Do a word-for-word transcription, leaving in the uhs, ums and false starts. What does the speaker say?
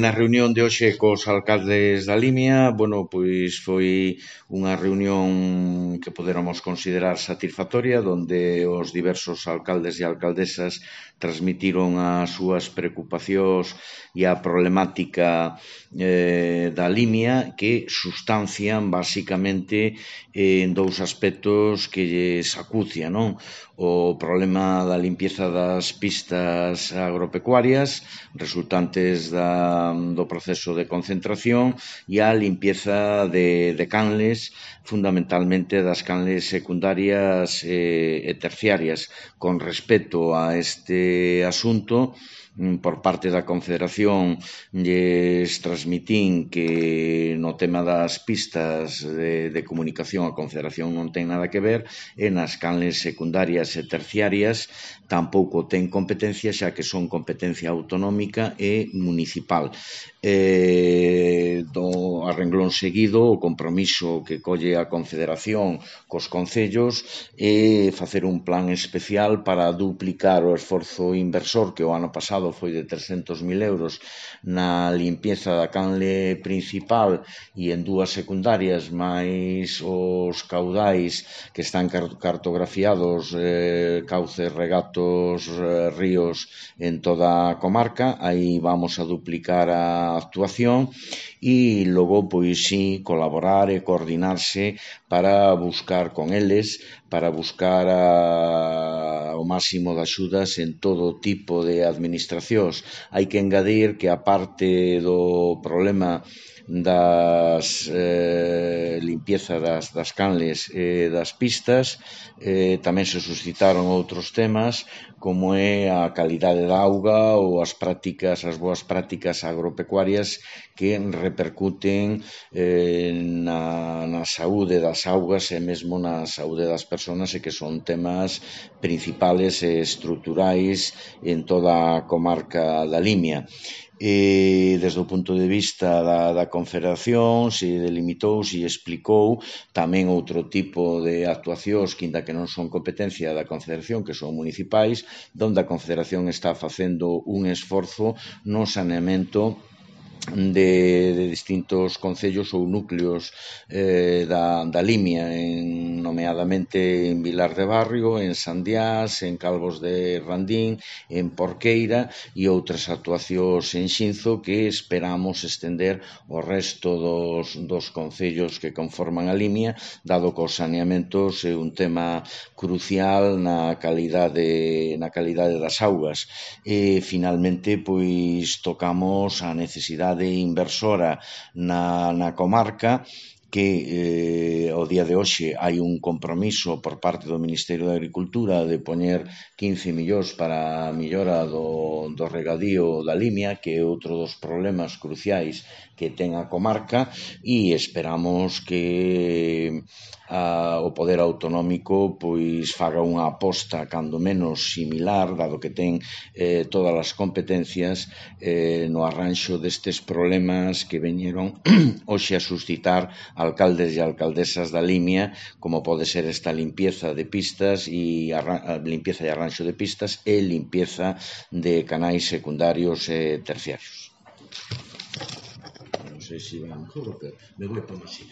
na reunión de hoxe cos alcaldes da Limia, bueno, pois foi unha reunión que poderamos considerar satisfactoria, donde os diversos alcaldes e alcaldesas transmitiron as súas preocupacións e a problemática eh, da Limia, que sustancian basicamente eh, en dous aspectos que lles acucia, non? O problema da limpieza das pistas agropecuarias resultantes da, do proceso de concentración e a limpieza de, de canles, fundamentalmente das canles secundarias e, e terciarias. Con respecto a este asunto, por parte da Confederación lles transmitín que no tema das pistas de, de comunicación a Confederación non ten nada que ver e nas canles secundarias e terciarias tampouco ten competencia, xa que son competencia autonómica e municipal. Eh, do a renglón seguido, o compromiso que colle a Confederación cos concellos é facer un plan especial para duplicar o esforzo inversor que o ano pasado foi de trescentos mil euros na limpieza da canle principal e en dúas secundarias máis os caudais que están cartografiados, eh, cauces, regatos, eh, ríos en toda a comarca. Aí vamos a duplicar a actuación e logo, pois sí, colaborar e coordinarse para buscar con eles, para buscar a, o máximo de axudas en todo tipo de administracións. Hai que engadir que a parte do problema das eh, limpieza das, das canles e eh, das pistas, eh, tamén se suscitaron outros temas como é a calidade da auga ou as prácticas, as boas prácticas agropecuarias que repercuten eh, na, na saúde das augas e mesmo na saúde das persoas e que son temas principales e estruturais en toda a comarca da Limia. E desde o punto de vista da, da Confederación se delimitou, se explicou tamén outro tipo de actuacións que ainda que non son competencia da Confederación, que son municipais, donde a Confederación está facendo un esforzo no saneamento De, de distintos concellos ou núcleos eh, da, da Limia, en, nomeadamente en Vilar de Barrio, en Sandiás, en Calvos de Randín, en Porqueira e outras actuacións en Xinzo que esperamos estender ao resto dos, dos concellos que conforman a Limia, dado que os saneamentos é un tema crucial na calidade, na calidade das augas. E, finalmente, pois, tocamos a necesidade inversora na, na comarca, que eh, ao día de hoxe hai un compromiso por parte do Ministerio de Agricultura de poñer quince millóns para a millora do, do regadío da Limia, que é outro dos problemas cruciais que ten a comarca, e esperamos que a, o poder autonómico pois faga unha aposta cando menos similar, dado que ten eh, todas as competencias eh, no arranxo destes problemas que veñeron hoxe a suscitar alcaldes e alcaldesas da Limia, como pode ser esta limpieza de pistas e arra- limpieza e arranxo de pistas e limpieza de canais secundarios e terciarios. Non sei se van, pero me voy por así.